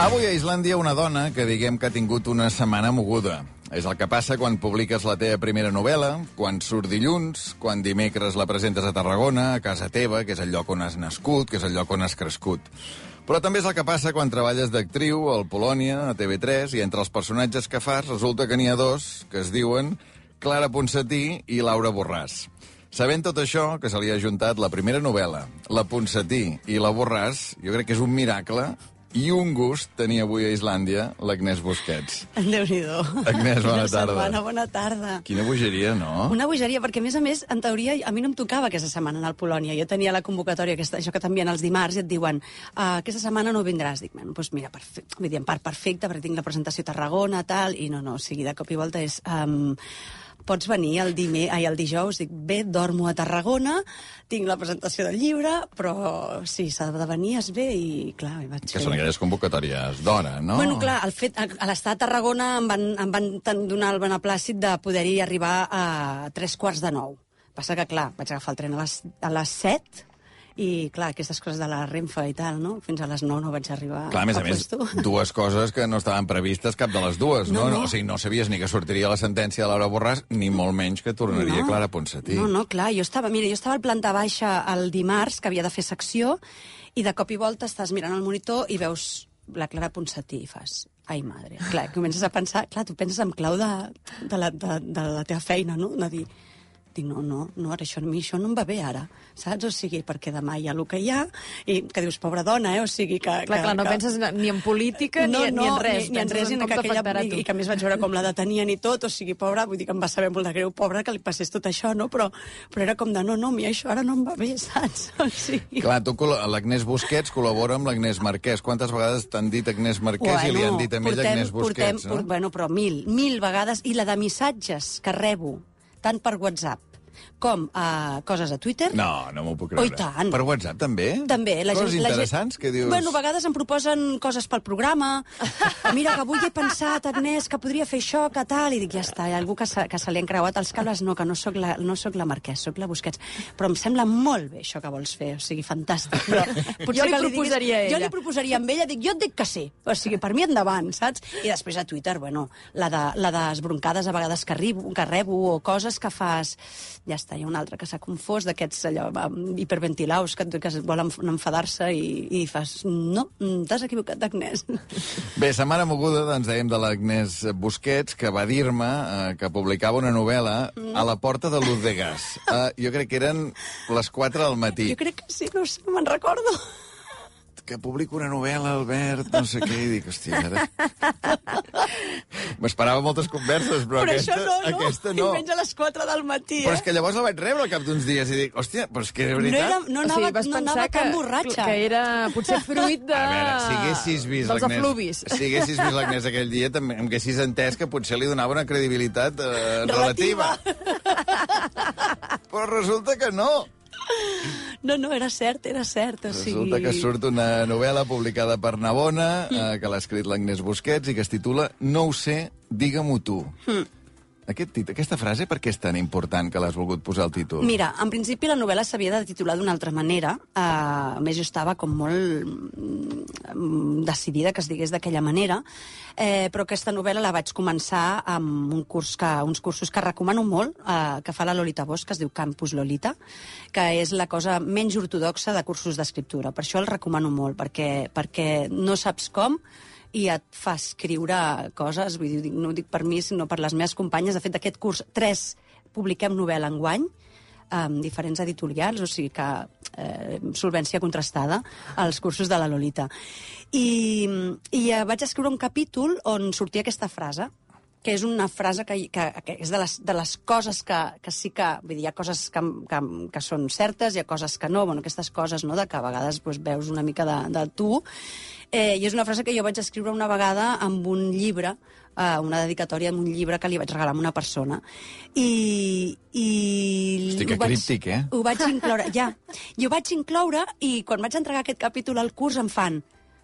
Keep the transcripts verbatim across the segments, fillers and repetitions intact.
Avui a Islàndia una dona que diguem que ha tingut una setmana moguda. És el que passa quan publiques la teva primera novel·la, quan surt dilluns, quan dimecres la presentes a Tarragona, a casa teva, que és el lloc on has nascut, que és el lloc on has crescut. Però també és el que passa quan treballes d'actriu al Polònia, a T V tres, i entre els personatges que fas resulta que n'hi ha dos que es diuen Clara Ponsatí i Laura Borràs. Sabent tot això, que se li ha ajuntat la primera novel·la, la Ponsatí i la Borràs, jo crec que és un miracle i un gust tenir avui a Islàndia l'Agnès Busquets. Déu-n'hi-do. Agnès, bona tarda. Setmana, bona tarda. Quina bogeria, no? Una bogeria, perquè a més a més, en teoria, a mi no em tocava aquesta setmana anar al Polònia. Jo tenia la convocatòria, aquesta, això que t'envien els dimarts, i et diuen uh, aquesta setmana no vindràs. Dic, bueno, doncs mira, perfecte. Vull dir, en part perfecte, perquè tinc la presentació a Tarragona, tal, i no, no, o sigui, de cop i volta és... Um, pots venir el, dime, ai, el dijous, dic, bé, dormo a Tarragona, tinc la presentació del llibre, però sí, s'ha de venir, es ve, i clar, hi vaig Que fer... són aquelles convocatòries d'hora, no? Bueno, clar, el fet, a, a l'estar a Tarragona em van, em van donar el beneplàcit de poder-hi arribar a tres quarts de nou. Passa que, clar, vaig agafar el tren a les, a les set, i, clar, aquestes coses de la Renfe i tal, no? Fins a les nou no vaig arribar clar, a més a, a més, puesto. dues coses que no estaven previstes, cap de les dues, no? No, no. no? O sigui, no sabies ni que sortiria la sentència de Laura Borràs, ni molt menys que tornaria no. Clara Ponsatí. No, no, clar, jo estava, mira, jo estava al planta baixa el dimarts, que havia de fer secció, i de cop i volta estàs mirant el monitor i veus la Clara Ponsatí i fas... Ai, madre. Clar, comences a pensar... Clar, tu penses en clau de, de, la, de, de la teva feina, no? De dir... Dic, no, no, no, ara això, a mi això no em va bé ara, saps? O sigui, perquè demà hi ha el que hi ha, i que dius, pobra dona, eh? O sigui, que... Clar, que, clar, no que... penses ni en política no, ni, no, ni en res. Ni, ni en res, en ni que aquella... I, I que a més vaig veure com la detenien i tot, o sigui, pobra, vull dir que em va saber molt de greu, pobra, que li passés tot això, no? Però, però era com de, no, no, a mi això ara no em va bé, saps? O sigui... Clar, tu, l'Agnès Busquets col·labora amb l'Agnès Marquès. Quantes vegades t'han dit Agnès Marquès bueno, i li han dit a ella Agnès Busquets, portem, no? Por, bueno, però mil, mil vegades, i la de missatges que rebo, tant per WhatsApp, com uh, coses a Twitter. No, no m'ho puc creure. Oh, i tant. Per WhatsApp, també? També. La coses gent, interessants la gent... que dius... Bueno, a vegades em proposen coses pel programa. Mira, que avui he pensat, Agnès, que podria fer això, que tal, i dic, ja està, hi ha algú que se, que se li han creuat els cables. No, que no sóc la, no sóc la Marquès, sóc la Busquets. Però em sembla molt bé això que vols fer, o sigui, fantàstic. Però jo li proposaria a ella. Jo li proposaria amb ella, dic, jo et dic que sí. O sigui, per mi endavant, saps? I després a Twitter, bueno, la de, la de les broncades a vegades que, arribo, que rebo, o coses que fas... Ja està, hi ha una altra que s'ha confós, d'aquests allò hiperventilaus que, que volen enfadar-se i, i fas... No, t'has equivocat d'Agnès. Bé, setmana moguda, doncs, dèiem de l'Agnès Busquets, que va dir-me eh, que publicava una novel·la mm. a la porta de Luz de Gas. Eh, jo crec que eren les quatre del matí. Jo crec que sí, no sé, no me'n recordo. Que publico una novel·la, Albert, no sé què, i dic, hòstia, ara... M'esperava moltes converses, però, però aquesta, no, no. aquesta no. I menys a les quatre del matí, eh? Però és que llavors la vaig rebre al cap d'uns dies i dic, hòstia, però és que era veritat... No, era, no anava, o sigui, vas no anava pensar tan que, borratxa. Que era potser fruit de... A veure, si haguessis vist dels l'Agnès... efluvis. Si haguessis vist l'Agnès aquell dia, també em haguessis entès que potser li donava una credibilitat eh, relativa. relativa. Però resulta que no. No, no, era cert, era cert. O sigui... Resulta que surt una novel·la publicada per Navona, eh, que l'ha escrit l'Agnès Busquets i que es titula No ho sé, digue-m'ho tu. Mm. Aquest tit aquesta frase, per què és tan important que l'has volgut posar al títol? Mira, en principi la novel·la s'havia de titular d'una altra manera. Uh, a més, jo estava com molt mm, decidida que es digués d'aquella manera, eh, però aquesta novel·la la vaig començar amb un curs que, uns cursos que recomano molt, uh, que fa la Lolita Bosch, que es diu Campus Lolita, que és la cosa menys ortodoxa de cursos d'escriptura. Per això el recomano molt, perquè, perquè no saps com, i et fa escriure coses, vull dir, no ho dic per mi, sinó per les meves companyes. De fet, d'aquest curs, tres publiquem novel·la enguany, amb diferents editorials, o sigui que eh, solvència contrastada als cursos de la Lolita. I, i eh, vaig escriure un capítol on sortia aquesta frase, que és una frase que, que, que és de les, de les coses que, que sí que... Vull dir, hi ha coses que, que, que són certes, hi ha coses que no, bueno, aquestes coses, no?, de que a vegades doncs, veus una mica de, de tu. Eh, I és una frase que jo vaig escriure una vegada amb un llibre, eh, una dedicatòria amb un llibre que li vaig regalar a una persona. I... i Hosti, que vaig, críptic, eh? Ho vaig incloure, ja. I ho vaig incloure i quan vaig entregar aquest capítol al curs em fan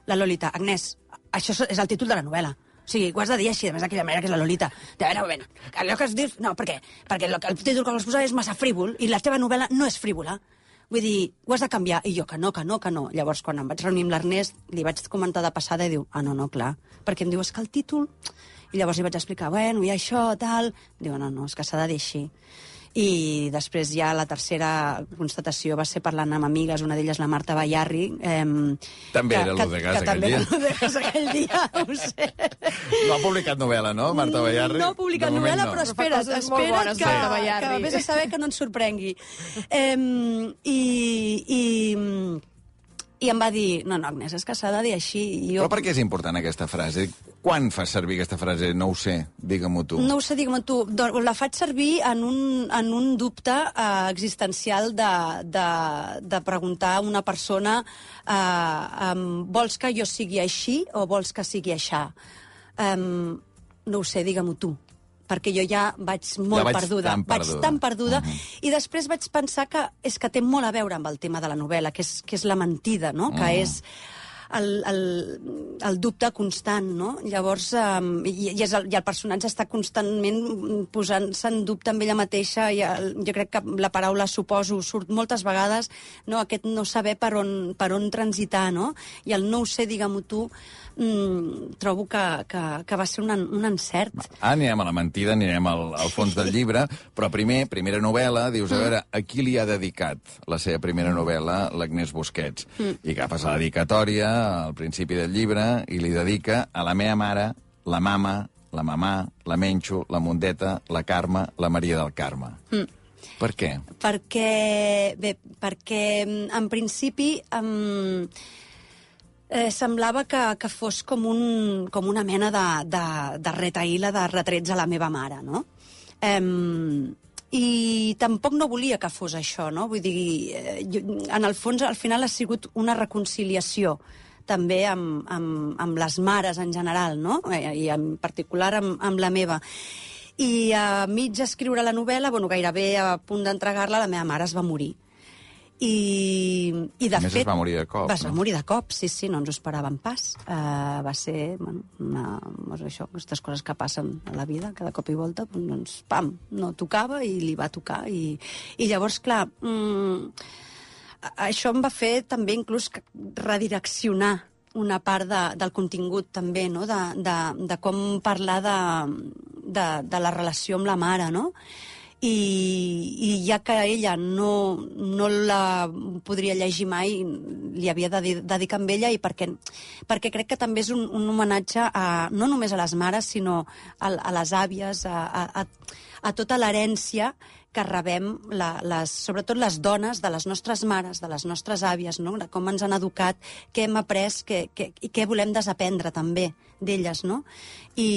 la Lolita, Agnès, això és el títol de la novel·la. O sigui, ho has de dir així, a més d'aquella manera que és la Lolita. De veure, a veure, allò que es diu... No, per què? Perquè el, el títol que vols posar és massa frívol i la teva novel·la no és frívola. Vull dir, ho has de canviar. I jo, que no, que no, que no. Llavors, quan em vaig reunir amb l'Ernest, li vaig comentar de passada i diu, ah, no, no, clar. Perquè em diu, és que el títol... I llavors li vaig explicar, bueno, hi ha això, tal... Diu, no, no, és que s'ha de dir així. I després ja la tercera constatació va ser parlant amb amigues, una d'elles la Marta Bayarri. Eh, també que, era l'Udegas aquell també dia. També era l'Udegas aquell dia, ho sé. No ha publicat novel·la, no, Marta Bayarri? No ha publicat novel·la, no. Però espera't, però espera't bones, que, sí. que vés a saber que no ens sorprengui. Eh, i, i, I em va dir, no, no, Agnès, és que s'ha de dir així. I jo... Però per què és important aquesta frase? Quan fas servir aquesta frase? No ho sé, digue-m'ho tu. No ho sé, digue-m'ho tu. Doncs la faig servir en un, en un dubte eh, existencial de, de, de preguntar a una persona eh, um, vols que jo sigui així o vols que sigui aixà? Um, no ho sé, digue-m'ho tu. Perquè jo ja vaig molt ja vaig perduda. Tan perduda. Vaig tan perduda. Uh uh-huh. -huh. I després vaig pensar que és que té molt a veure amb el tema de la novel·la, que és, que és la mentida, no? Uh -huh. Que és el, el, el dubte constant, no? Llavors, um, i, i, és el, i el personatge està constantment posant-se en dubte amb ella mateixa, i el, jo crec que la paraula suposo surt moltes vegades, no? Aquest no saber per on, per on transitar, no? I el no ho sé, digue-m'ho tu, mm, trobo que, que, que va ser un, un encert. Ah, anirem a la mentida, anirem al, al fons del llibre, però primer, primera novel·la, dius, a veure, a qui li ha dedicat la seva primera novel·la l'Agnès Busquets? Mm. I agafes la dedicatòria al principi del llibre i li dedica a la meva mare, la mama, la mamà, la Menxo, la Mundeta, la Carme, la Maria del Carme. Mm. Per què? Perquè, bé, perquè en principi em, eh, semblava que, que fos com, un, com una mena de, de, de retaïla de retrets a la meva mare, no? Em, I tampoc no volia que fos això, no? Vull dir, eh, jo, en el fons, al final ha sigut una reconciliació també amb, amb, amb les mares en general, no? Eh, I en particular amb, amb la meva. I a mig escriure la novel·la, bueno, gairebé a punt d'entregar-la, la meva mare es va morir. I, i de a més fet... es va morir de cop, Es va no? morir de cop, sí, sí, no ens ho esperàvem pas. Uh, va ser, bueno, una, això, aquestes coses que passen a la vida, cada cop i volta, doncs, pam, no tocava i li va tocar. I, i llavors, clar, mm, això em va fer també inclús redireccionar una part de, del contingut també, no? de, de, de com parlar de, de, de la relació amb la mare, no? I, i ja que ella no, no la podria llegir mai, li havia de dedicar amb ella, i perquè, perquè crec que també és un, un homenatge a, no només a les mares, sinó a, a les àvies, a, a, a tota l'herència que rebem, la, les, sobretot les dones, de les nostres mares, de les nostres àvies, no? De com ens han educat, què hem après què, què, i què volem desaprendre també d'elles, no? I,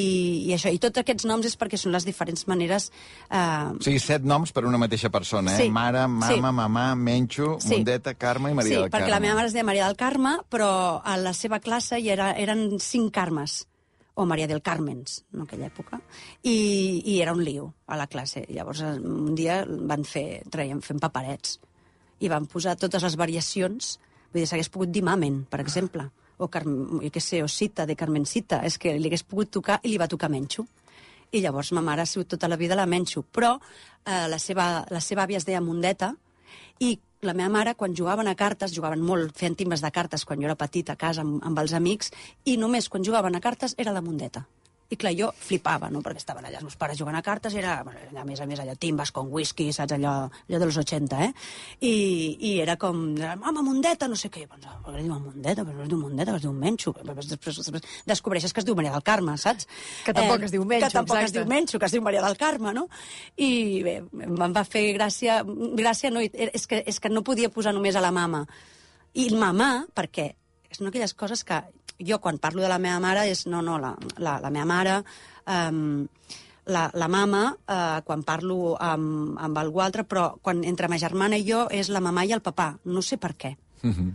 i això, i tots aquests noms és perquè són les diferents maneres... Eh... O sigui, set noms per una mateixa persona, eh? Sí. Mare, mama, Sí. mamà, Menxo, Sí. Mundeta, Carme i Maria sí, del Carme. perquè la meva mare es deia Maria del Carme, però a la seva classe hi era, eren cinc Carmes, o Maria del Carmens, en aquella època, i, i era un lío a la classe. Llavors, un dia van fer, traiem, fent paperets, i van posar totes les variacions, vull dir, s'hagués pogut dir Mamen, per exemple, o, Car jo què sé, o Cita, de Carmencita, és que li hagués pogut tocar, i li va tocar Menxo. I llavors ma mare ha sigut tota la vida la Menxo, però eh, la, seva, la seva àvia es deia Mundeta, i la meva mare, quan jugaven a cartes, jugaven molt, feien timbres de cartes quan jo era petita a casa amb, amb els amics, i només quan jugaven a cartes era la Mundeta. I clar, jo flipava, no?, perquè estaven allà els meus pares jugant a cartes, era, a més a més, allò, timbes con whisky, saps, allò, allò de los ochenta, eh? I, i era com, mama, Mundeta, no sé què. Doncs, per què li diuen Mundeta? Però no es diu Mundeta, es diu Menxo. Després, després, després descobreixes que es diu Maria del Carme, saps? Que tampoc eh, es diu Menxo, Que tampoc exacte. es diu Menxo, que es diu Maria del Carme, no? I bé, em va fer gràcia, gràcia no, és que, és que no podia posar només a la mama. I mamà, perquè són aquelles coses que jo, quan parlo de la meva mare, és no, no, la, la, la meva mare, um, la, la mama, uh, quan parlo amb, amb algú altre, però quan entre ma germana i jo és la mamà i el papà. No sé per què. Mhm.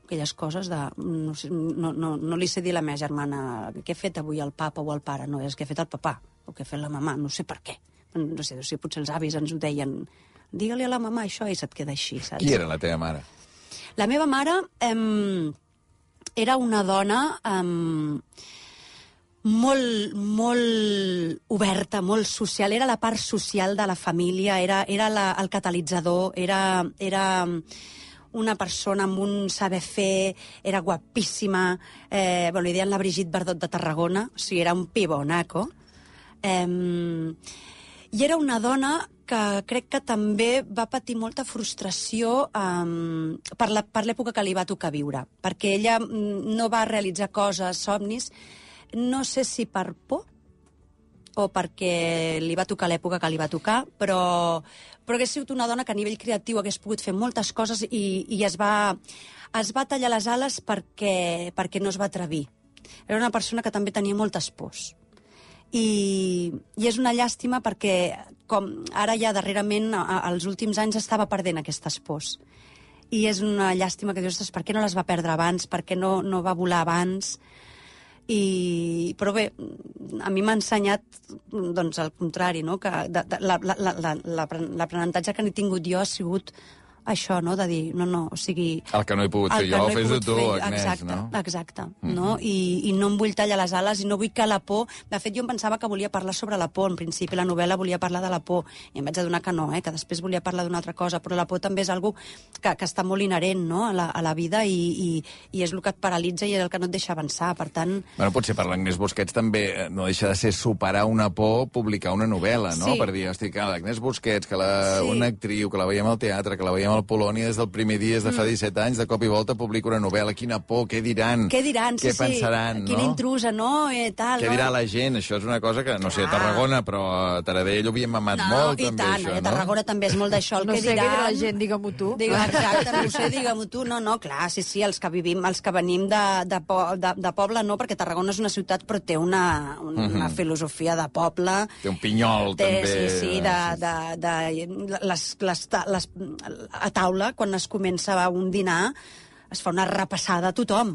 Aquelles coses de... No, sé, no, no, no li sé dir a la meva germana què he fet avui el papa o el pare. No, és que he fet el papà o què ha fet la mamà. No sé per què. No sé, si potser els avis ens ho deien. Digue-li a la mamà això i se't queda així, saps? Qui era la teva mare? La meva mare... Um, era una dona um, molt, molt oberta, molt social. Era la part social de la família, era, era la, el catalitzador, era, era una persona amb un saber fer, era guapíssima, eh, bueno, li deien la Brigitte Bardot de Tarragona, o sigui, era un pibonaco. Eh, I era una dona que crec que també va patir molta frustració um, per l'època que li va tocar viure, perquè ella no va realitzar coses, somnis, no sé si per por o perquè li va tocar l'època que li va tocar, però, però hagués sigut una dona que a nivell creatiu hagués pogut fer moltes coses i, i es, va, es va tallar les ales perquè, perquè no es va atrevir. Era una persona que també tenia moltes pors. I, i és una llàstima perquè com ara ja darrerament als últims anys estava perdent aquestes pors i és una llàstima que dius, per què no les va perdre abans, per què no, no va volar abans. I, però bé, a mi m'ha ensenyat doncs el contrari, no? Que l'aprenentatge que n'he tingut jo ha sigut això, no?, de dir, no, no, o sigui... El que no he pogut fer jo, no fes-ho tu, fer, Agnès, exacte, no? Exacte, mm-hmm. no? I, I no em vull tallar les ales i no vull que la por... De fet, jo em pensava que volia parlar sobre la por. En principi, la novel·la volia parlar de la por. I em vaig adonar que no, eh? Que després volia parlar d'una altra cosa. Però la por també és algo que, que està molt inherent, no?, a la, a la vida i, i, i és el que et paralitza i és el que no et deixa avançar. Per tant... Bueno, potser per l'Agnès Busquets també no deixa de ser superar una por, publicar una novel·la, no? Sí. Per dir, hosti, que l'Agnès Busquets, que la, Sí. una actriu, que la veiem al teatre, que la veiem al Polònia des del primer dia, des de fa disset anys, de cop i volta publica una novel·la. Quina por, què diran? Què diran? Què sí, pensaran, sí. Quina no? intrusa, no? Eh, tal, Què no? dirà la gent? Això és una cosa que, no sé, a Tarragona, però a Taradell ho havíem mamat No, molt, i també, tant, això, a no? Tarragona també és molt d'això. El No que sé què diran... dirà la gent, digue-m'ho tu. Digue, exacte, no ho sé, digue-m'ho tu. No, no, clar, sí, sí, els que vivim, els que venim de, de, po, de, de poble, no, perquè Tarragona és una ciutat, però té una, una uh-huh. filosofia de poble. Té un pinyol, té, també. Sí, sí, de, de, de, les, les, les, a taula, quan es comença un dinar, es fa una repassada a tothom.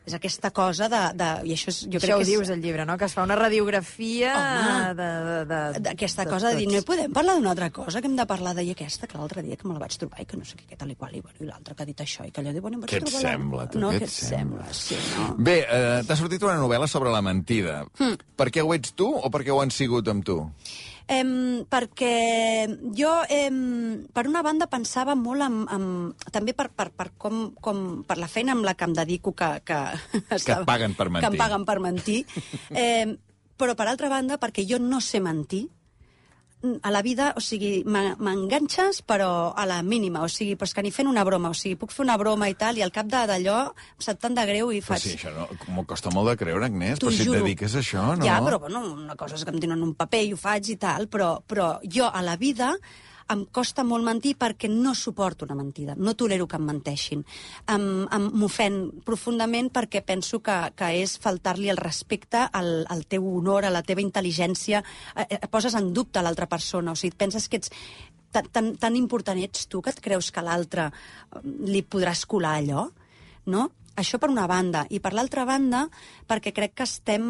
És aquesta cosa de... de i això és, jo Això crec ho que és, dius, el llibre, no? Que es fa una radiografia Home, de, de, de, d'aquesta de cosa de dir, no tots. podem parlar d'una altra cosa, que hem de parlar d'ahir aquesta, que l'altre dia que me la vaig trobar i que no sé què, que tal i qual, i, bueno, i l'altre que ha dit això, i que allò diu, bueno, em vaig Què et trobar la- sembla, tu? No, Què què et et sembla? Sí, no? Bé, eh, t'ha sortit una novel·la sobre la mentida. Hmm. Per què ho ets tu o per què ho han sigut amb tu? Em, perquè jo, em, per una banda, pensava molt en, en, també per, per, per, com, com, per la feina amb la que em dedico, que, que, Que et paguen per mentir. Que em paguen per mentir. Eh, però, per altra banda, perquè jo no sé mentir, a la vida, o sigui, m'en- m'enganxes, però a la mínima, o sigui, però és que ni fent una broma, o sigui, puc fer una broma i tal, i al cap de- d'allò em sap tant de greu i Però faig... sí, això no, m'ho costa molt de creure, Agnès, T'ho però si et juro. dediques a això, no? Ja, però bueno, una cosa és que em donen un paper i ho faig i tal, però, però jo a la vida em costa molt mentir perquè no suporto una mentida, no tolero que em menteixin. Em, em m'ofèn profundament perquè penso que, que és faltar-li el respecte al, al teu honor, a la teva intel·ligència, eh, eh, poses en dubte a l'altra persona, o sigui, et penses que ets tan, tan, tan important ets tu que et creus que a l'altre eh, li podràs colar allò, no? Això per una banda. I per l'altra banda, perquè crec que estem...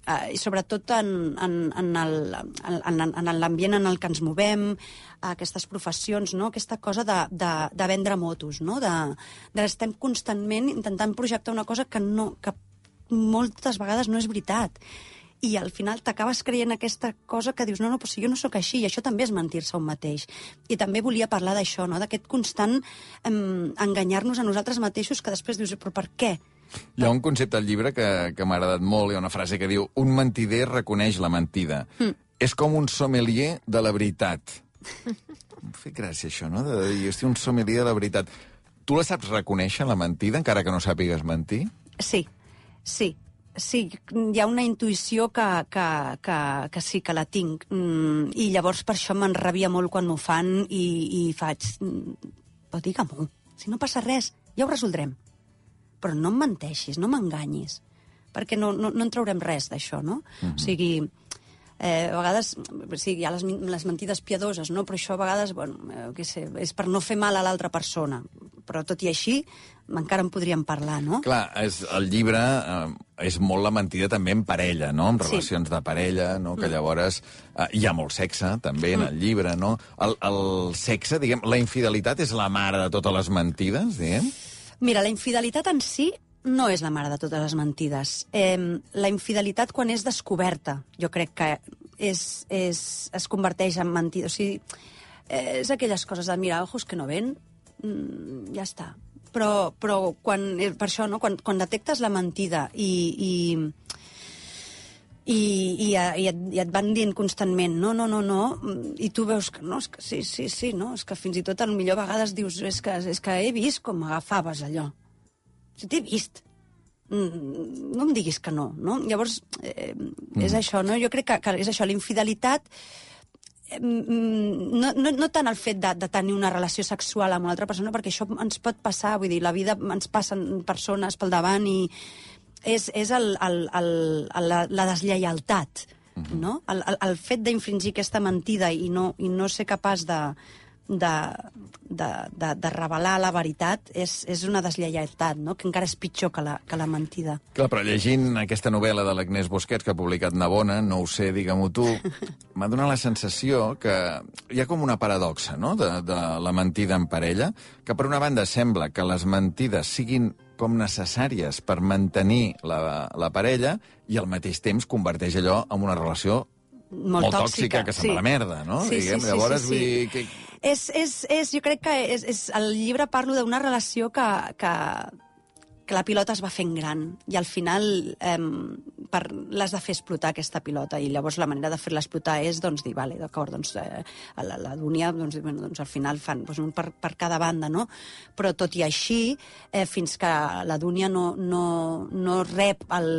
Uh, i sobretot en, en, en el- en, en, en l'ambient en el que ens movem, aquestes professions, no? Aquesta cosa de, de, de vendre motos, no? De, de estem constantment intentant projectar una cosa que, no, que moltes vegades no és veritat. I al final t'acabes creient aquesta cosa que dius, no, no, però si jo no sóc així, i això també és mentir-se un mateix. I també volia parlar d'això, no? D'aquest constant em, enganyar-nos a nosaltres mateixos, que després dius, però per què? Hi ha un concepte al llibre que, que m'ha agradat molt, hi ha una frase que diu un mentider reconeix la mentida. Mm. És com un sommelier de la veritat. Em fa gràcia això, no? De dir, hosti, un sommelier de la veritat. Tu la saps reconèixer, la mentida, encara que no sàpigues mentir? Sí, sí. Sí, hi ha una intuïció que, que, que, que sí, que la tinc. Mm, I llavors per això m'enrabia molt quan ho fan i, i faig... mm, Però digue-m'ho, si no passa res, ja ho resoldrem. Però no em menteixis, no m'enganyis, perquè no, no, no en traurem res d'això, no? Mm-hmm. O sigui, eh, a vegades, sí, hi ha les, les mentides piadoses, no? Però això a vegades, bueno, eh, què sé, és per no fer mal a l'altra persona. Però tot i així, encara en podríem parlar, no? Clar, és, el llibre eh, és molt la mentida també en parella, no? En Sí. relacions de parella, no? Que llavors eh, hi ha molt sexe, també, en el llibre, no? El, el sexe, diguem, la infidelitat és la mare de totes les mentides, diguem? Mira, la infidelitat en si no és la mare de totes les mentides. Eh, la infidelitat, quan és descoberta, jo crec que és, és, es converteix en mentida. O sigui, eh, és aquelles coses de, mira, ojos que no ven, mm, ja està. Però, però quan, per això, no? quan, quan detectes la mentida i... i I, i, i, et, i et van dient constantment no, no, no, no, i tu veus que no, és que sí, sí, sí, no, és que fins i tot a lo millor a vegades dius, és que, és que he vist com agafaves allò. Si t'he vist. No em diguis que no, no? Llavors, eh, mm. és això, no? Jo crec que, que és això, la infidelitat, eh, no, no, no tant el fet de, de tenir una relació sexual amb una altra persona, perquè això ens pot passar, vull dir, la vida ens passen persones pel davant i és, és el, el, el, el, la, la deslleialtat, uh-huh. no? El, el, el fet d'infringir aquesta mentida i no, i no ser capaç de, de, de, de, de revelar la veritat és, és una deslleialtat, no? Que encara és pitjor que la, que la mentida. Clar, però llegint aquesta novel·la de l'Agnès Busquets que ha publicat Navona, no ho sé, digue-m'ho tu, m'ha donat la sensació que hi ha com una paradoxa, no?, de, de la mentida en parella, que per una banda sembla que les mentides siguin com necessàries per mantenir la, la parella i al mateix temps converteix allò en una relació molt, molt tòxica, tòxica que se'n va sí. la merda, no? Sí, Diguem, sí, sí, llavors, sí, sí. vull dir... Que... És, és, és, jo crec que és, és, el llibre parlo d'una relació que, que, que la pilota es va fent gran i al final eh, per, l'has de fer explotar aquesta pilota i llavors la manera de fer-la explotar és doncs, dir, vale, d'acord, doncs, eh, la, la Dúnia doncs, bueno, doncs, al final fan doncs, un per, per cada banda, no? Però tot i així, eh, fins que la Dúnia no, no, no rep el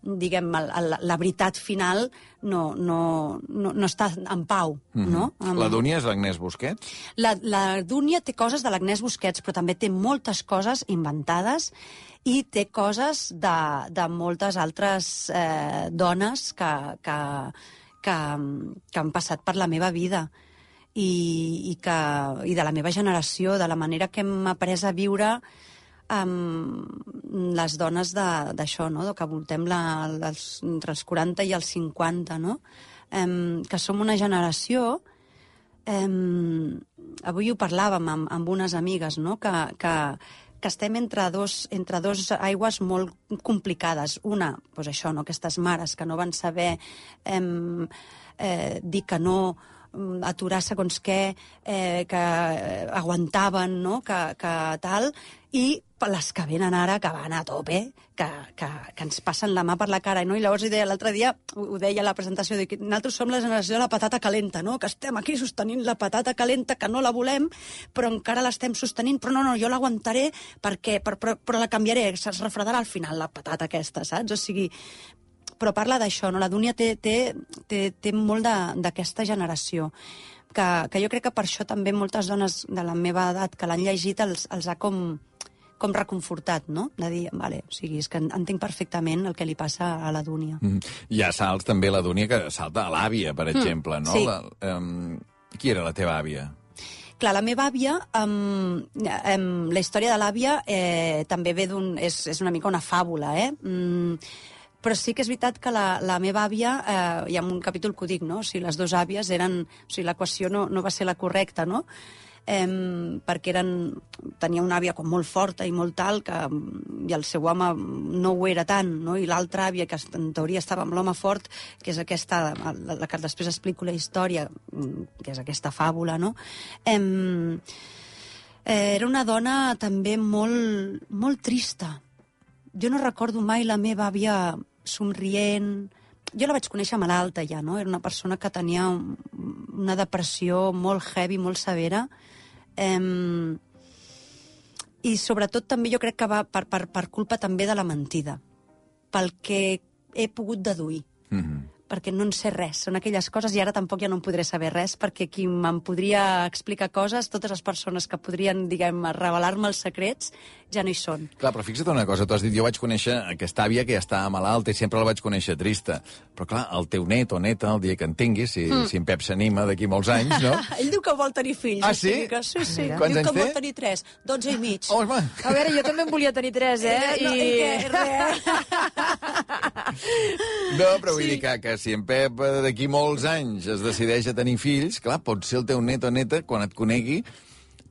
diguem, el, el, la veritat final no, no, no, no està en pau, mm-hmm. no? Amb... La Dúnia és l'Agnès Busquets? La, la Dúnia té coses de l'Agnès Busquets, però també té moltes coses inventades i té coses de, de moltes altres eh, dones que, que, que, que han passat per la meva vida i, i, que, i de la meva generació, de la manera que hem après a viure amb les dones d'això, no? Que voltem la, els, entre els quaranta i els cinquanta, no? Um, que som una generació... Um, avui ho parlàvem amb, amb unes amigues, no? Que, que, que estem entre dos, entre dos aigües molt complicades. Una, doncs això, no? Aquestes mares que no van saber um, eh, dir que no, aturar segons què, eh, que aguantaven, no? que, que tal, i les que venen ara, que van a tope, que, que, que ens passen la mà per la cara, no? I llavors deia l'altre dia, ho, ho deia a la presentació, que nosaltres som la generació de la patata calenta, no? Que estem aquí sostenint la patata calenta, que no la volem, però encara l'estem sostenint, però no, no, jo l'aguantaré perquè, però, però, però la canviaré, es refredarà al final la patata aquesta, saps? O sigui, però parla d'això, no? La Dúnia té, té, té, té molt d'aquesta generació, que, que jo crec que per això també moltes dones de la meva edat que l'han llegit els, els ha com, com reconfortat, no? De dir, vale, o sigui, és que entenc perfectament el que li passa a la Dúnia. Mm. Hi ha salts també la Dúnia que salta a l'àvia, per exemple, mm, no? Sí. La, um, qui era la teva àvia? Clar, la meva àvia, um, um, la història de l'àvia eh, també ve d'un... És, és una mica una fàbula, eh? Mm, però sí que és veritat que la, la meva àvia, eh, hi ha un capítol que ho dic, no? O sigui, les dues àvies eren... O sigui, l'equació no, no va ser la correcta, no? Eh, perquè eren, tenia una àvia com molt forta i molt tal, que, i el seu home no ho era tant, no? I l'altra àvia, que en teoria estava amb l'home fort, que és aquesta, la, la que després explico la història, que és aquesta fàbula, no? Eh, eh, era una dona també molt, molt trista. Jo no recordo mai la meva àvia somrient. Jo la vaig conèixer malalta ja, no? Era una persona que tenia un, una depressió molt heavy, molt severa. Um, I sobretot també jo crec que va per, per, per culpa també de la mentida, pel que he pogut deduir. Mm-hmm. Perquè no en sé res. Són aquelles coses, i ara tampoc ja no en podré saber res, perquè qui me'n podria explicar coses, totes les persones que podrien, diguem, revelar-me els secrets, ja no hi són. Clar, però fixa't una cosa, tu has dit, jo vaig conèixer aquesta àvia que ja estava malalta i sempre la vaig conèixer trista. Però clar, el teu net o neta, el dia que en tinguis, si, mm. si en Pep s'anima d'aquí molts anys, no? Ell diu que vol tenir fills. Ah, sí? Que, sí, sí. Quants diu anys que té? vol tenir tres. Dotze i mig. Oh, home. A veure, jo també en volia tenir tres, eh? eh no, I... I no, però vull sí. dir que, que si en Pep d'aquí molts anys es decideix a tenir fills, clar, pot ser el teu net o neta, quan et conegui,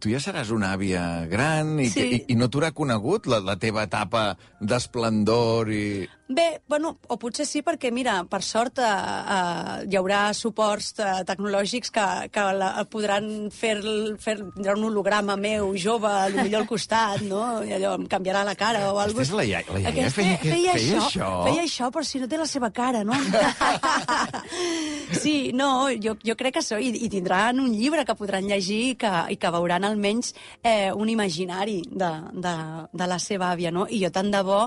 tu ja seràs una àvia gran i, Sí. que, i, i no t'haurà conegut la, la teva etapa d'esplendor i... Bé, bueno, o potser sí, perquè, mira, per sort eh, eh, hi haurà suports eh, tecnològics que, que la, podran fer, fer tindrà un holograma meu, jove, potser al costat, no? I allò em canviarà la cara o alguna Aquesta és la iaia, la iaia Aquesta feia, feia, feia això? Feia això, però si no té la seva cara, no? Sí, no, jo, jo crec que so, i, i tindran un llibre que podran llegir i que, i que veuran almenys eh, un imaginari de, de, de la seva àvia, no? I jo tant de bo,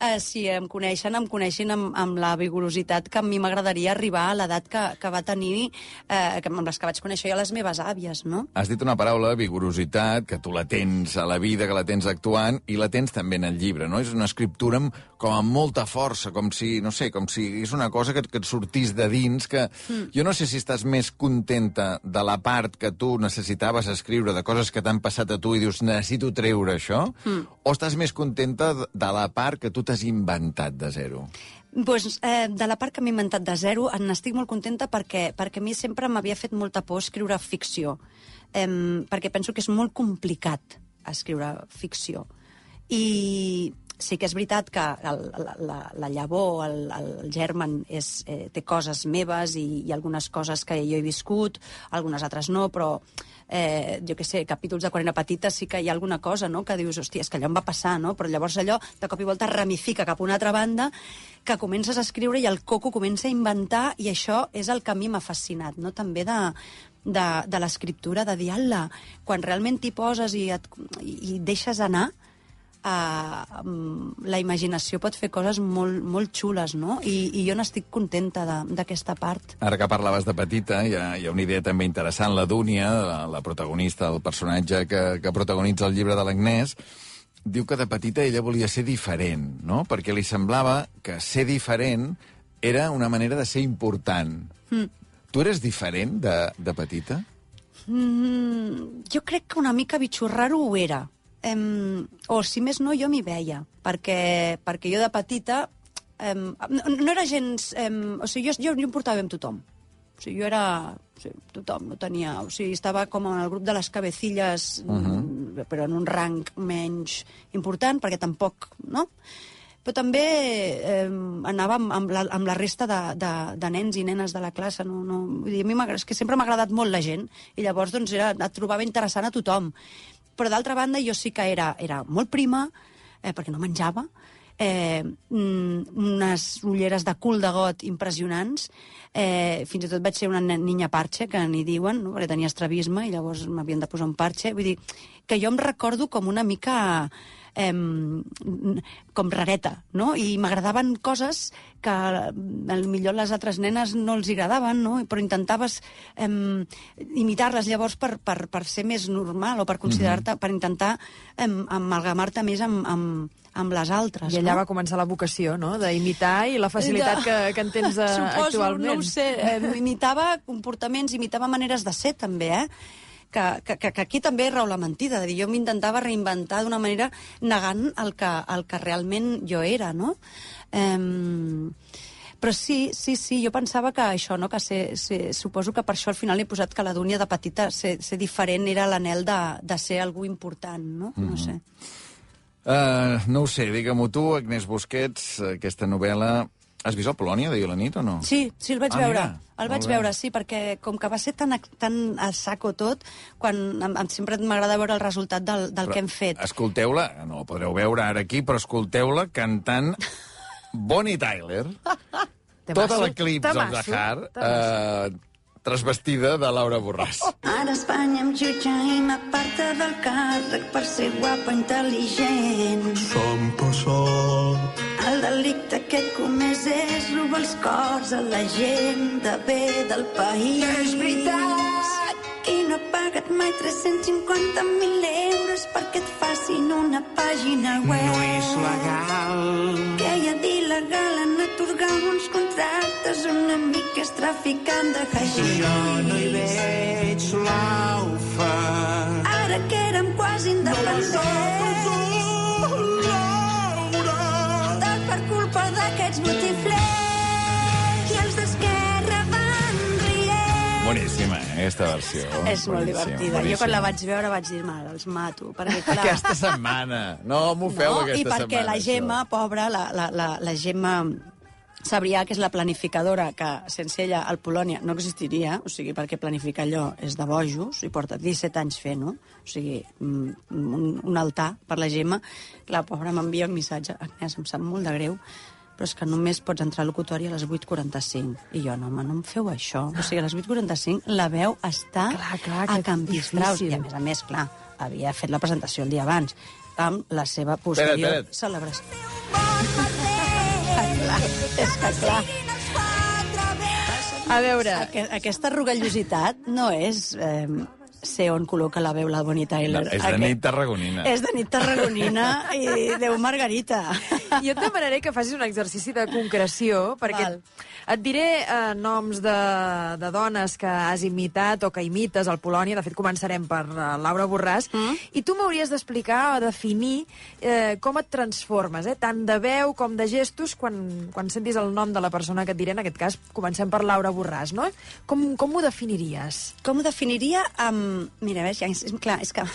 eh, si em coneixen, em coneixin amb, amb la vigorositat que a mi m'agradaria arribar a l'edat que, que va tenir, eh, que, amb les que vaig conèixer jo les meves àvies, no? Has dit una paraula, vigorositat, que tu la tens a la vida, que la tens actuant, i la tens també en el llibre, no? És una escriptura amb, com amb molta força, com si, no sé, com si és una cosa que, que et sortís de dins, que mm. jo no sé si estàs més contenta de la part que tu necessitaves escriure, de coses que t'han passat a tu i dius, necessito treure això, mm. o estàs més contenta de la part que tu t'has inventat de zero? Pues, eh, de la part que m'he inventat de zero, n'estic molt contenta perquè, perquè a mi sempre m'havia fet molta por escriure ficció, eh, perquè penso que és molt complicat escriure ficció. I sí que és veritat que el, la, la, la llavor, el, el germen, és, eh, té coses meves i, i algunes coses que jo he viscut, algunes altres no, però eh, jo què sé, capítols de quan era petita sí que hi ha alguna cosa, no?, que dius, hòstia, és que allò em va passar, no? Però llavors allò de cop i volta ramifica cap a una altra banda, que comences a escriure i el coco comença a inventar, i això és el que a mi m'ha fascinat, no?, també de, de, de l'escriptura, de dir, ala, quan realment t'hi poses i, et, i deixes anar, Uh, la imaginació pot fer coses molt, molt xules, no? I, i jo n'estic contenta d'aquesta part. Ara que parlaves de petita, hi ha, hi ha una idea també interessant. La Dúnia, la, la protagonista, el personatge que, que protagonitza el llibre de l'Agnès, diu que de petita ella volia ser diferent, no? Perquè li semblava que ser diferent era una manera de ser important. Mm. Tu eres diferent de, de petita? Mm, jo crec que una mica bitxorrar-ho ho era. Um, o si més no, jo m'hi veia, perquè, perquè jo de petita um, no, no era gens... Um, o sigui, jo, jo, jo em portava bé amb tothom. O sigui, jo era... O sigui, tothom no tenia... O sigui, estava com en el grup de les cabecilles, uh -huh. però en un rang menys important, perquè tampoc... no? Però també eh, anava amb, amb, la, amb la resta de, de, de nens i nenes de la classe. No, no, vull dir, a mi és que sempre m'ha agradat molt la gent, i llavors doncs, era, et trobava interessant a tothom. Però d'altra banda jo sí que era, era molt prima, eh, perquè no menjava, eh, unes ulleres de cul de got impressionants, eh, fins i tot vaig ser una niña parche, que n'hi diuen, no? Perquè tenia estrabisme i llavors m'havien de posar un parche. Vull dir, que jo em recordo com una mica... Eh, com rareta, no? I m'agradaven coses que potser les altres nenes no els agradaven, no? Però intentaves eh, imitar-les llavors per, per, per ser més normal o per considerar-te, mm-hmm. per intentar eh, amalgamar-te més amb, amb, amb les altres. I allà no? va començar la vocació, no?, d'imitar i la facilitat de... que, que en tens eh, Suposo, actualment. no ho sé, eh, imitava comportaments, imitava maneres de ser també, eh? Que, que, que aquí també rau la mentida, de dir, jo m'intentava reinventar d'una manera negant el que, el que realment jo era, no? Um, però sí, sí, sí, jo pensava que això, no? Que ser, ser, suposo que per això al final he posat que la Dúnia de petita ser, ser diferent era l'anhel de, de ser algú important, no? Mm-hmm. No sé. Uh, no ho sé, digue-m'ho tu, Agnès Busquets, aquesta novel·la... Has vist el Polònia d'ahir a la nit o no? Sí, sí, el vaig ah, veure. Mira. El vaig veure, sí, perquè com que va ser tan, tan a saco tot, quan em, em, sempre m'agrada veure el resultat del, del però que hem fet. Escolteu-la, no la podreu veure ara aquí, però escolteu-la cantant Bonnie Tyler, tota l'Eclipse of the Heart, eh, transvestida de Laura Borràs. Ara Espanya em jutja i m'aparta del càrrec per ser guapa, intel·ligent. Som passat. El delicte que he comès és robar els cors a la gent de bé del país. És veritat! Qui no ha pagat mai tres-cents cinquanta mil euros perquè et facin una pàgina web? No és legal. Què hi ha d'il·legal en atorgar uns contractes una mica és traficant de haixix? Jo no hi veig l'aufa. Ara que érem quasi independents. Per culpa d'aquests botiflers i els d'Esquerra van rient. Boníssima, eh? aquesta versió. És molt divertida. Jo quan la vaig veure vaig dir, mare, els mato. Perquè, clar... Aquesta setmana. No m'ho feu no, aquesta setmana. I perquè setmana, la Gemma, això. pobra, la, la, la, la Gemma Sabrià, que és la planificadora, que sense ella el Polònia no existiria, o sigui, perquè planificar allò és de bojos, i porta disset anys fent-ho, o sigui, un, un altar per la Gemma. La pobra m'envia un missatge, Agnès, em sap molt de greu, però és que només pots entrar al locutori a les vuit quaranta-cinc. I jo, no, home, no em feu això. O sigui, a les vuit quaranta-cinc la veu està clar, clar, a Can Pistraus. I a més a més, clar, havia fet la presentació el dia abans, amb la seva posterior espera't, espera't. celebració. Clar, és que clar. A veure... Aqu aquesta rugallositat no és eh, ser on col·loca la veu la Bonnie Tyler. No, és de Aquest... nit tarragonina. És de nit tarragonina i Déu Margarita. Jo et demanaré que facis un exercici de concreció, perquè Val. et diré eh, noms de, de dones que has imitat o que imites al Polònia. De fet, començarem per uh, Laura Borràs. Mm. I tu m'hauries d'explicar o definir eh, com et transformes, eh, tant de veu com de gestos, quan, quan sentis el nom de la persona que et diré. En aquest cas, comencem per Laura Borràs, no? Com, com ho definiries? Com ho definiria? Um, mira, a veure, ja, és, clar, és que...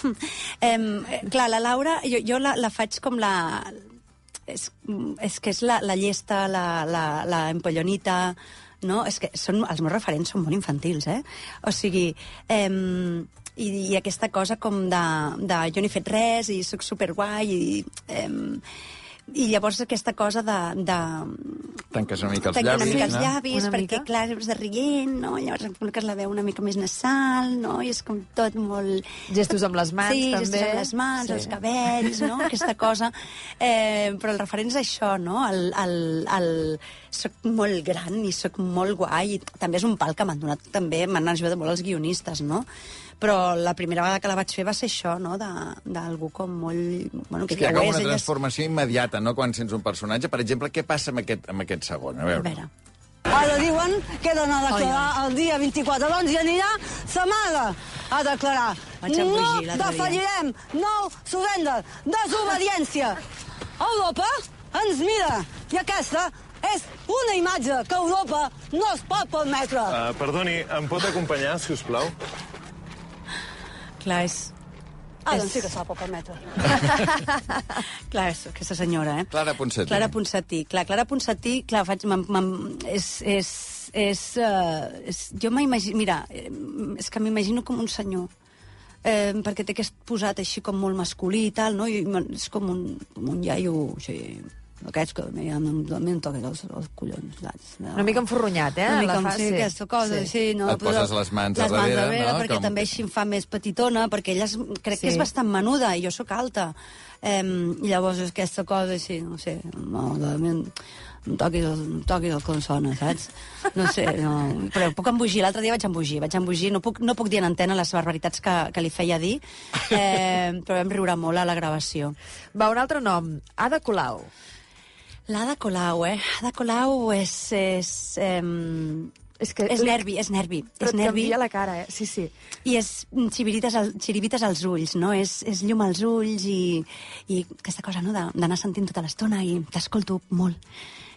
Um, clar, la Laura, jo, jo la, la faig com la... És, és que és la, la llesta, la, la, la empollonita, no? És que són, els meus referents són molt infantils, eh? O sigui, eh, i, i aquesta cosa com de, de jo no he fet res i sóc superguai i... Eh, I llavors aquesta cosa de... de Tanques una mica els tancar llavis, una mica els no? llavis, Una perquè, mica? clar, és de rient, no? Llavors em col·loques la veu una mica més nasal, no? I és com tot molt... Gestos amb les mans, sí, també. gestos amb les mans, Sí. els cabells, no? Aquesta cosa. Eh, però el referent és això, no? El, el, el... Soc molt gran i soc molt guai. I també és un pal que m'han donat, també m'han ajudat molt els guionistes, no? Però la primera vegada que la vaig fer va ser això, no? D'algú com molt... Bueno, que És que hi ha ja ho com és, una ella és- transformació immediata, no?, quan sents un personatge. Per exemple, què passa amb aquest, amb aquest segon? A A veure. veure. Ara diuen que he d'anar a declarar el dia vint-i-quatre, doncs hi anirà sa mare a declarar. Vaig embogir No l'altre dia. defallirem, no surrender, desobediència. Europa ens mira i aquesta és una imatge que Europa no es pot permetre. Uh, perdoni, em pot acompanyar, si us plau? Clar, és... Ara és- sí que se la pot permetre. Clar, és aquesta senyora, eh? Clara Ponsatí. Clara Ponsatí. Clar, Clara Ponsatí, clar, faig... M -m és... és, és, uh, és jo m'imagino... Mira, eh, és que m'imagino com un senyor. Eh, perquè té aquest posat així com molt masculí i tal, no? I és com un, com un iaio, així... Aquests que a mi em, a mi em toquen els, els collons. Saps? No. Una mica enforronyat, eh? Una mica la amb fa, sí, aquesta cosa, sí. sí no, Et poses les mans a les mans darrere, darrere no? perquè Com- també així em fa més petitona, perquè ella és, crec Sí. que és bastant menuda i jo sóc alta. Eh, I llavors és aquesta cosa així, no sé, no, de, em, em toquis el, em toquis el consona, saps? No sé, no, però puc embogir. L'altre dia vaig embogir, vaig embogir. No puc, no puc dir en antena les barbaritats que, que li feia dir, eh, però vam riure molt a la gravació. Va, un altre nom. Ada Colau. L'Ada Colau, eh? Ada Colau és... és eh, És que... és nervi, és nervi. Però és et nervi. canvia la cara, eh? Sí, sí. I és xirivites, al, xirivites als ulls, no? És, és llum als ulls i, i aquesta cosa, no?, de- d'anar sentint tota l'estona i t'escolto molt.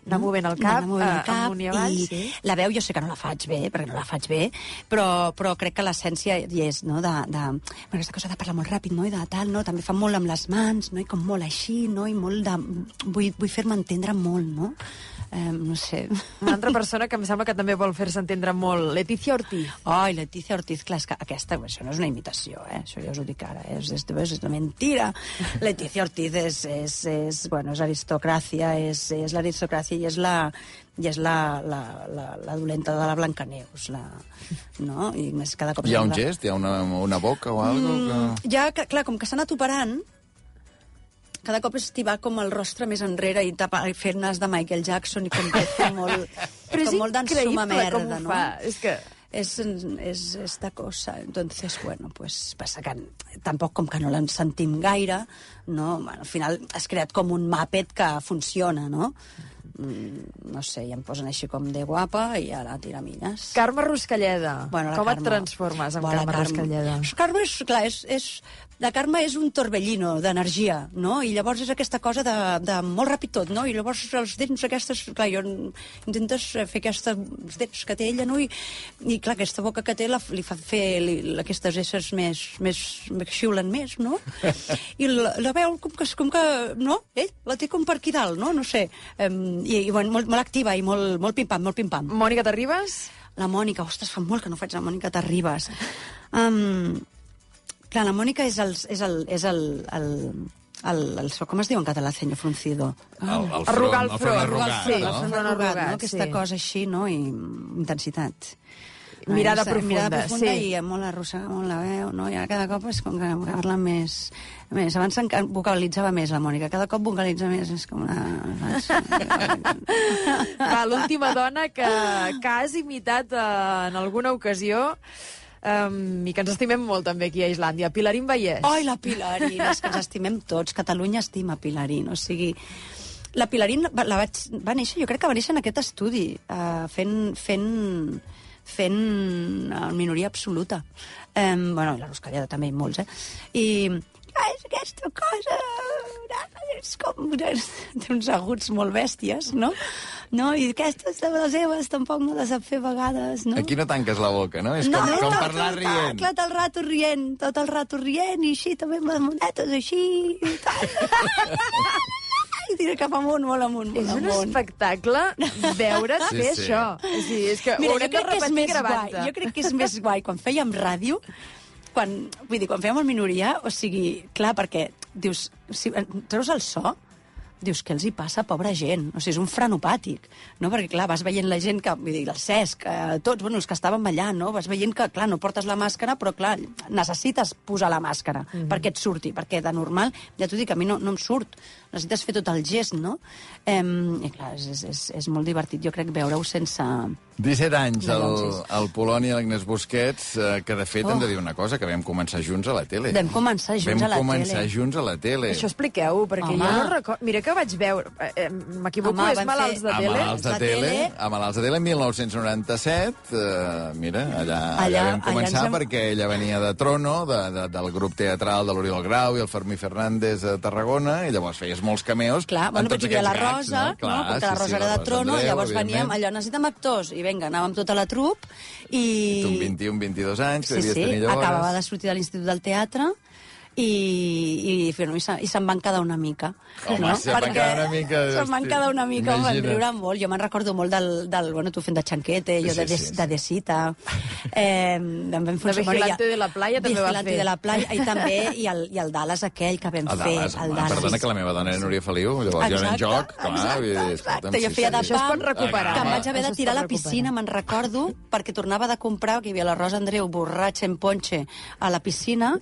Anar movent el cap, D'anar movent el eh, cap, amunt i avall, i sí. la veu jo sé que no la faig bé, perquè no la faig bé, però, però crec que l'essència hi és, no?, de, de bueno, aquesta cosa de parlar molt ràpid, no?, i de tal, no?, també fa molt amb les mans, no?, i com molt així, no?, i molt de... Vull, vull fer-me entendre molt, no?, eh, no sé... Una altra persona que em sembla que també vol fer-se entendre molt. Letícia Ortiz. Ai, Letícia Ortiz, clar, és que aquesta, això no és una imitació, eh? Això ja us ho dic ara, eh? és, és, és una mentira. Letícia Ortiz és, és, és, bueno, és aristocràcia, és, és l'aristocràcia i és la i és la, la, la, la dolenta de la Blancaneus, la, no? I més cada cop... Hi ha un sembla- gest? Hi ha una, una boca o alguna cosa? Ja, que, clar, com que s'ha anat operant, cada cop estivar com el rostre més enrere i, tapar, i fer nas de Michael Jackson i com que fer molt... Però és com molt d'ensuma increïble com merda, ho no? fa. És que... Es, es esta cosa. Entonces, bueno, pues passa que tampoc com que no l'en sentim gaire, no? Bueno, al final has creat com un Muppet que funciona, no? Mm, no sé, i em posen així com de guapa i ara tiramilles. Carme Ruscalleda. Bueno, la Com Carme. et transformes amb Bueno, Carme la Ruscalleda? Carme és, clar, és, és la Carme és un torbellino d'energia, no? I llavors és aquesta cosa de, de molt ràpid tot, no? I llavors els dents aquestes... Clar, jo intentes fer aquestes dents que té ella, no? I, i clar, aquesta boca que té la, li fa fer li, aquestes esses més, més, més xiulen més, no? I la, la veu com que, com que... No? Ell la té com per aquí dalt, no? No sé. Um, I, i bueno, molt, molt activa i molt, molt pim-pam, molt pim-pam. Mònica Terribas? La Mònica, ostres, fa molt que no faig la Mònica Terribas. Um, clar, la Mònica és el... És el, és el, el El, el, com es diu en català, ceño fruncido? El, el front, arrugar el el front front, arrugat, sí, no? el front arrugat, no? Aquesta sí. cosa així, no? I intensitat. Mirada Ai, profunda, mirada profunda sí. I molt arrossega molt la veu, no? I ara cada cop és com que parla més... més. Abans vocalitzava més la Mònica, cada cop vocalitza més, és com una... Va, l'última dona que, que has imitat eh, en alguna ocasió... Um, i que ens estimem molt també aquí a Islàndia, Pilarín Vallès. Ai, la Pilarín, és que ens estimem tots. Catalunya estima Pilarín, o sigui... La Pilarín va, la vaig, va néixer, jo crec que va néixer en aquest estudi, uh, fent, fent, fent uh, minoria absoluta. Um, bueno, la Ruscallada també, i molts, eh? I... És aquesta cosa... És com... Té uns aguts molt bèsties, no? No? I aquestes de les seves tampoc no les sap fer a vegades, no? Aquí no tanques la boca, no? És com, no, com tot, parlar tot, rient. Clar, tot el rato rient, tot el rato rient, i així també amb les monetes, així... I tal. I tira cap amunt, molt amunt, molt És un amunt. espectacle veure't Sí, fer sí. això. És, dir, és que Mira, ho jo haurem de crec que és repetir més guai. gravant-te. Jo crec que és més guai quan fèiem ràdio, quan, vull dir, quan fèiem el minoria, o sigui, clar, perquè dius, si treus el so, dius, què els hi passa a pobra gent? O sigui, és un frenopàtic, no? Perquè, clar, vas veient la gent que, vull dir, el Cesc, eh, tots, bueno, els que estàvem allà, no? Vas veient que, clar, no portes la màscara, però, clar, necessites posar la màscara mm-hmm. perquè et surti, perquè de normal, ja t'ho dic, a mi no, no em surt. Necessites fer tot el gest, no? Eh, I, clar, és, és, és molt divertit, jo crec, veure-ho sense... disset anys, No, el, sí, sí. el Polònia, l'Agnès Busquets, eh, que de fet Oh. hem de dir una cosa, que vam començar junts a la tele. Vam començar junts vam a la començar tele. junts a la tele. Això expliqueu, perquè Home. jo no recordo... Mira que vaig veure... Eh, M'equivoco, Home, és vam Malalts fer- de A tele? Malalts de La tele, tele. a Malalts de tele, mil nou-cents noranta-set, eh, mira, allà, allà, Allà- vam començar allà ens hem- perquè ella venia de Trono, de, de, del grup teatral de l'Oriol Grau i el Fermí Fernández a Tarragona, i llavors feies molts cameos Clar, en bueno, tots perquè hi havia aquests la gags, Rosa, no? Clar, no? Perquè la sí, Rosa sí, era de Rosa Trono, Andreu, i llavors veníem, evidentment. allò, necessitem actors, i vinga, anàvem tota la trup, i... Tu amb vint-i-un, vint-i-dos anys, que Sí, devies sí, tenir llavors. acabava de sortir de l'Institut del Teatre, i, i, bueno, i, se, i se'n van quedar una mica. Home, se'n van quedar una mica, Se'n van hosti, quedar una mica, em van imagina't. riure molt. Jo me'n recordo molt del, del bueno, tu fent de xanquete, jo Sí, de, sí, de, sí. de Desita. Eh, em vam fer De Vigilante de la Playa també va Vigilante fer. de la Playa, i també, i el, i el Dallas aquell que vam El fer. Dallas, el home, Dallas. perdona que la meva dona era Núria Feliu, llavors jo era en joc, clar, exacte, vull dir, exacte. escolta'm, Jo sí, feia sí. de Això es pot pam, recuperar. que em vaig Això haver de es tirar a pot la piscina, recuperar. me'n recordo, perquè tornava de comprar, que hi havia la Rosa Andreu borratxa en ponche a la piscina,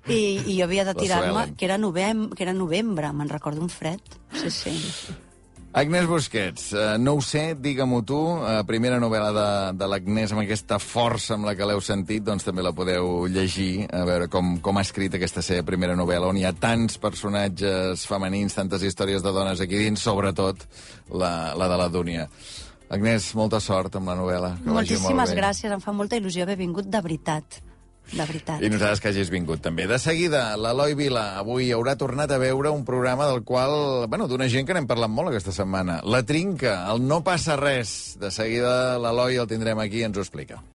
i, i jo havia de La tirar-me, Suelen. que era novembre, que era novembre, me'n recordo un fred. Sí, sí. Agnès Busquets, eh, no ho sé, digue-m'ho tu, eh, primera novel·la de, de l'Agnès amb aquesta força amb la que l'heu sentit, doncs també la podeu llegir, a veure com, com ha escrit aquesta seva primera novel·la, on hi ha tants personatges femenins, tantes històries de dones aquí dins, sobretot la, la de la Dúnia. Agnès, molta sort amb la novel·la. Que vagi molt Moltíssimes bé. gràcies, em fa molta il·lusió haver vingut de veritat. De veritat. I nosaltres que hagis vingut també. De seguida, l'Eloi Vila avui haurà tornat a veure un programa del qual, bueno, d'una gent que n'hem parlat molt aquesta setmana. La Trinca, el No passa res. De seguida l'Eloi el tindrem aquí i ens ho explica.